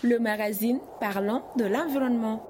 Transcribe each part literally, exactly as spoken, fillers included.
Le magazine parlant de l'environnement.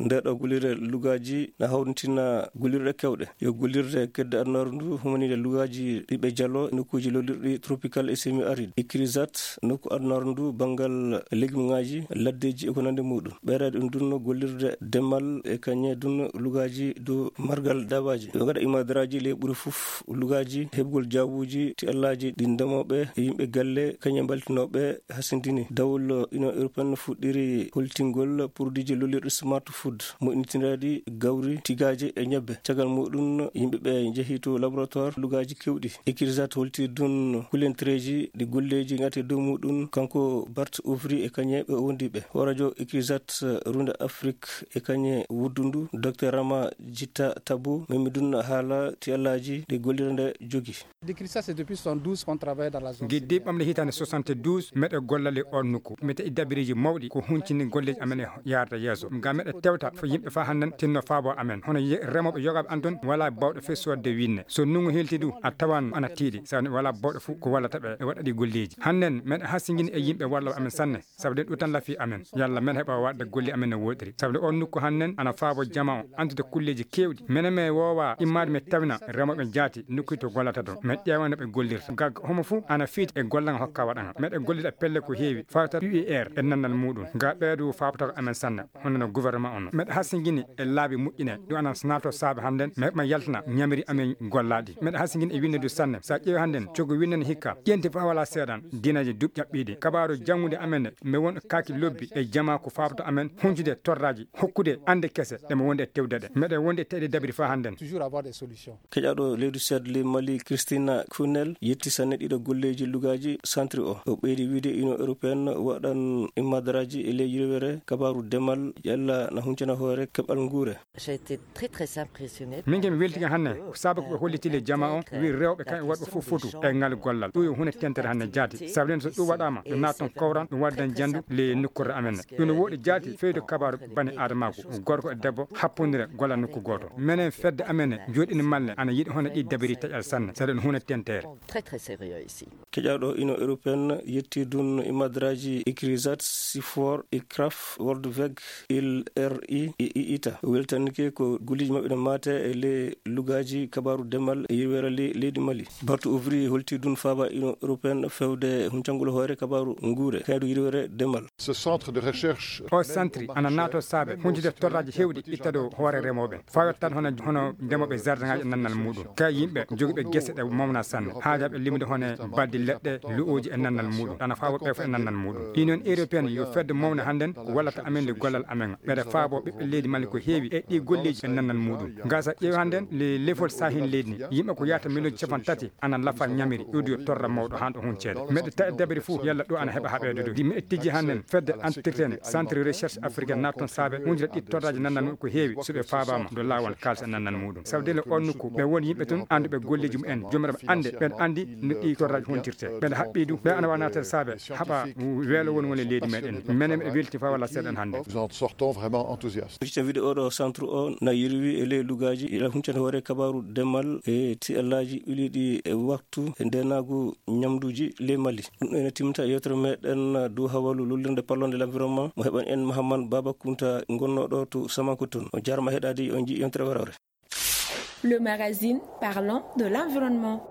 Nde ɗo gollirde lugaaji na hawritina gollirɗe kewɗe. Yo gollirde kedde adunaaru ndu humaninde lugaaji ɗiɓe jalo e nokkuuji lollirɗi tropical e semi-aride. Ikrisat nokku adunaaru ndu banngal legumŋaaji, laddeeji e ko nandi muɗum. Ɓeydaade ɗum ɗum no gollirde demal e kañe ɗum lugaaji dow margal daabaaji. Yo gaɗa imadaraaji ley ɓuri fof lugaaji heɓgol jawbuuji ti allaaji ɗi ndemooɓe e yimɓe galle kañe mbaltinooɓe hasindini. Dawol Union Européenne fuɗɗiri holtingol produitji lollirɗi smart food, moƴƴintinaaɗi gawri, tigaaje e ñebbe. Caggal muɗum, yimɓe ɓe njehi to laboratoire lugaaji kewɗi. Ikrisat holti ɗum kulentereeji ɗi golleeji ngati dow muɗum, kanko Bart Ouvry e kañe ɓe o wondi ɓe. Hooreejo Ikrisat Runde Afrik e kañe wuddundu, Docteur Rama Jitta Tabu, memi ɗum haala ti allaaji ɗi gollirde jogi. Depuis soixante-douze qu'on travaille dans la zone. Giddi ɓamle hitaande soixante-douze, meɗe gollali on nokku. Mi taƴi dabiriji mawɗi ko huncini golleji amen e yaarde yeeso. Ngam meɗe tewta fo yimɓe fa hannden tinno faabo amen. Hono ye-, remooɓe yogaaɓe an ton wala bawɗo fe soodde winne. So nungu hilti du, a tawan ana tiiɗi. Sani wala bawɗo fu ko wallata ɓe e waɗa ɗi golleji. Hannden meɗe hasingini e yimɓe walloɓe amen sanne. Sabu ɗum tan lafi amen. Yalla men heɓa waɗde golle amen no woɗiri. Sabu on nokku hannden ana faabo jama o andude kulleji kewɗi. Menen me wowa immade me tawina remoɓe jaati nokku to gollata ɗon. Men ƴeewa no ɓe gollirta. Gag homo fu ana fiiti e gollanga hokka waɗanga. Meɗe gollida pelle ko heewi. Fawta U E R e nannal muɗum. Ga ɓeedu faabotako amen sanne. Hono no gouvernement on. Meɗe hasingini e laabi moƴƴine. Ɗum ana naato saabe hannden. Me heɓma yaltana ñamiri amen gollaɗi. Meɗe hasingini e winnedu sanne. Sa ƴeewi hannden, cogo winnen hikka. Ƴenti fa wala seeɗan. Dinaji duɓ ƴaɓɓiɗi. Kabaaru janngude amen ne. Me won kaaki lobbi e jama ko faabata amen. Huncude torraji. Hokkude ande kese. Ɗe mo wonde e tewde ɗe. Meɗe wonde e teɗe dabiri fa hannden. Toujours avoir des solutions. Keƴaɗo leydi Suède ley Mali, Christina Kunel, yetti sanne ɗiɗo golleji lugaaji santri o. O ɓeydi wiide Union Européenne waɗan immadaraji e ley yirwere kabaaru demal, ƴella na huncana hoore keɓal nguure. J'ai été très, très impressionnée. Min ke mi weltiga hanne, ko sabu ko ɓe holliti le jama o, wi rewɓe kan worɓe fof fotu e ngal gollal. Ɗum yo hunde tentere hanne jaati. Sabu nden so ɗum waɗama, ɗum naat ton kowran, ɗum waddan jandu le nukkorde amen. Ɗum no woɗi jaati feyde kabaaru bani adamaaku, gorko e debbo, happondire golla nokku gooto. Menen fedde amen ne, joɗɗini malle, ana yiɗi hono ɗi dabiri taƴal sanne. Sabu ɗum hunde tentere. Très, très sérieux ici. Keƴaɗo Union Européenne yetti dun imadraji Ikrizat, Sifor, Ikraf, World Veg, Il R I, e I I T A. Weltanike ko golleji maɓɓe ne maate e le lugaji kabaru demal e yirwere le-, leydi Mali. Bartu Ouvrier holti dun faaba Union Européenne fewde huncangol hoore kabaru nguure, kaydu yirwere demal. Ce centre de recherche. O santri ana naato saabe huncude torraji hewɗi itta dow hoore remoɓe. Fawat tan hono, hono ndemoɓe jardin ngaji e nannal muɗum. Ka yimɓe jogiɓe gese ɗe mawna sanne. Haajaɓe limude hono baddi leɗɗe, lu'oji e nannal muɗum. Ana fawa ɓe fof e nannal muɗum. Union Européenne yo fedde mawne hannden ko wallata amen le gollal amen. Ɓeɗe faabo ɓiɓɓe leydi Mali ko heewi e ɗi golleji e nannal muɗum. Gasa ƴeewi hannden le lefol sahin leydi ni. Yimɓe ko yahata million capan tati ana lafa ñamiri, ɗuɗi yo torra mawɗo han ɗo hunceede. Meɗe tawi dabere fof, yalla ɗo ana heɓa haɓeede ɗo. Di meɗe tijji hannden fedde entretene, centre recherche africaine, naat ton saabe, wonjira ɗi torraji nannal muɗum ko heewi, so ɓe faabama, ɗo laawol kaalsa e nannal muɗum. Sabu dele on nokku, ɓe won yimɓe ton, annduɓe golleji mumen, jomiraɓe annde, ɓen anndi no ɗi torraji hontirte. Ɓen haɓɓi du, ɓe ana wa naatata saabe, haɓa weelo won woni leydi meɗen. Menen meɗe welti fa wala seeɗan hannde. Nous en sortons vraiment enthousiastes. Hicca wiide oɗo centre o na yirwi e ley lugaji ila huncande hoore kabaru demal e tiyallaji ɓiliɗi e waktu e ndenagu ñamduji ley Mali. Ɗum ene timta yewtere meɗen dow hawalu lollirde parlonde l'environnement mo heɓan en Mahaman Baba Kunta gonnoɗo to Samankoton. O jarama heɗade, on jii yontere warore. Le magazine parlant de l'environnement.